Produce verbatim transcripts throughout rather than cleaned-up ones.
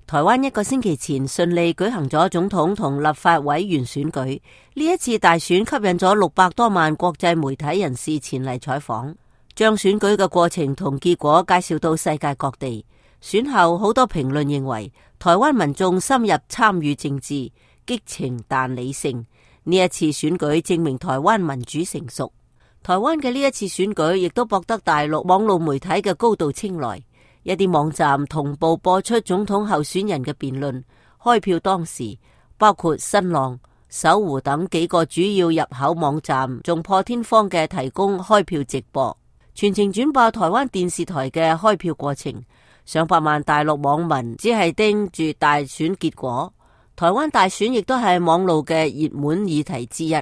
台灣一個星期前順利舉行咗總統同立法委員選舉，呢一次大選吸引咗六百多萬國際媒體人士前嚟採訪，將選舉嘅過程同結果介紹到世界各地。選後好多評論認為，台灣民眾深入參與政治，激情但理性。呢一次選舉證明台灣民主成熟。台灣嘅呢一次選舉亦都博得大陸網絡媒體嘅高度青睞。一啲網站同步播出總統候選人嘅辯論。開票當時，包括新浪、搜狐等幾個主要入口網站仲破天荒嘅提供開票直播，全程轉播台灣電視台嘅開票過程。上百萬大陸網民只係盯住大選結果。台灣大選亦都係網路嘅熱門議題之一。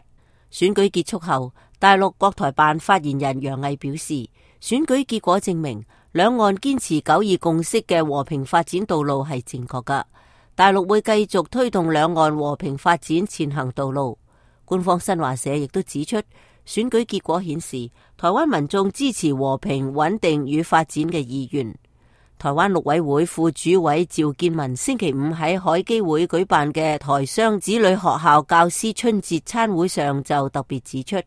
選舉結束後，大陸國台辦發言人楊毅表示，選舉結果證明兩岸堅持九二共識嘅和平發展道路係正確㗎。大陸會繼續推動兩岸和平發展前行道路。官方新華社亦都指出，選舉結果顯示台灣民眾支持和平穩定與發展嘅意願。台灣陸委會副主委趙建民星期五喺海基會舉辦嘅台商子女學校教師春節餐會上就特別指出，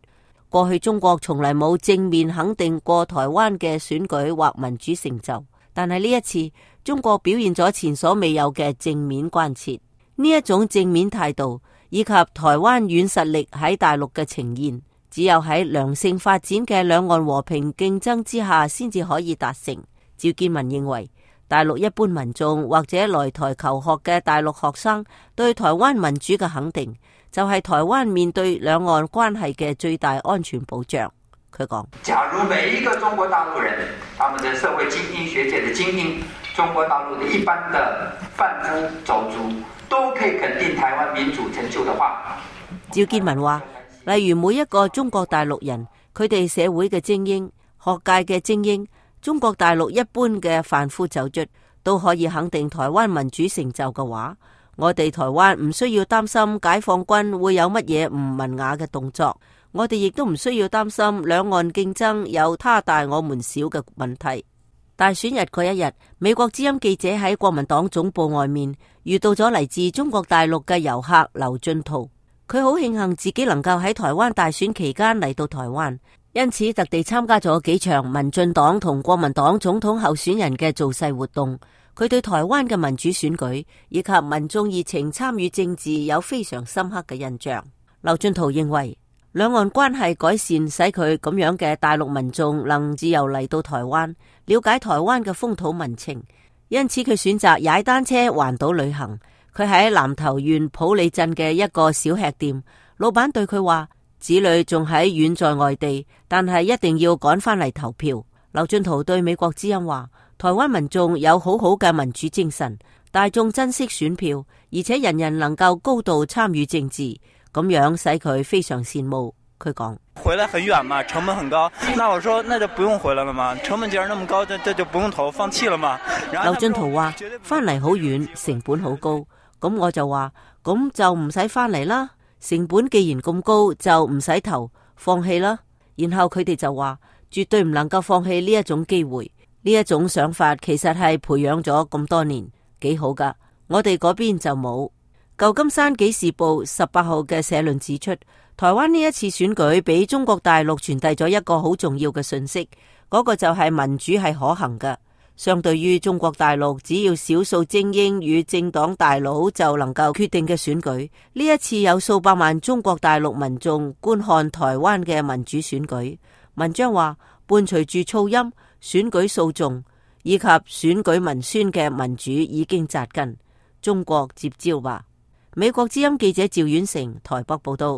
過去中國從來冇正面肯定過台灣嘅選舉或民主成就，但係呢一次中國表現咗前所未有嘅正面關切。呢一種正面態度以及台灣軟實力喺大陸嘅呈現，只有喺良性發展嘅兩岸和平競爭之下先至可以達成。趙建民認為，大陸一般民眾或者來台求學嘅大陸學生對台灣民主嘅肯定，就係台灣面對兩岸關係嘅最大安全保障。佢講：假如每一個中國大陸人，他們的社會精英、學界的精英，中國大陸的一般的販夫走卒，都可以肯定台灣民主成就的話，趙建民話，例如每一個中國大陸人，佢哋社會嘅精英、學界嘅精英，中國大陸一般嘅販夫走卒都可以肯定台灣民主成就嘅話，我哋台灣唔需要擔心解放軍會有乜嘢唔文雅嘅動作，我哋亦都唔需要擔心兩岸競爭有他大我們小嘅問題。大選日嗰一日，美國之音記者喺國民黨總部外面遇到咗嚟自中國大陸嘅遊客劉俊濤，佢好慶幸自己能夠喺台灣大選期間嚟到台灣，因此特地參加咗幾場民進黨同國民黨總統候選人嘅造勢活動。佢對台灣嘅民主選舉以及民眾熱情參與政治有非常深刻嘅印象。劉俊濤認為，兩岸關係改善使佢咁樣嘅大陸民眾能自由嚟到台灣，了解台灣嘅風土民情，因此佢選擇踩單車環島旅行。佢喺南投縣埔里鎮嘅一個小吃店，老闆對佢話，子女仲喺遠在外地，但係一定要趕翻嚟投票。劉俊濤對美國之音話，台灣民眾有好好嘅民主精神，大眾珍惜選票，而且人人能夠高度參與政治，咁樣使佢非常羨慕。佢講：回來很遠嘛，成本很高。那我說，那就不用回來了嘛，成本既然那麼高，這這就不用投，放棄了嘛。劉俊濤話：翻嚟好遠，成本好高。咁我就話：咁就唔使翻嚟啦。成本既然咁高，就唔使投，放棄啦。然後佢哋就話：絕對唔能夠放棄呢一種機會。呢一種想法其實係培養咗咁多年，幾好噶。我哋嗰邊就冇。舊金山紀事報十八號嘅社論指出，台灣呢一次選舉俾中國大陸傳遞咗一個好重要嘅信息，嗰個就係民主係可行嘅。相對於中國大陸只要少數精英與政黨大佬就能夠決定嘅選舉，呢一次有數百萬中國大陸民眾觀看台灣嘅民主選舉。文章話，伴隨住噪音、選舉訴訟以及選舉文宣嘅民主已經扎根，中國接招吧。美國之音記者趙遠成台北報道。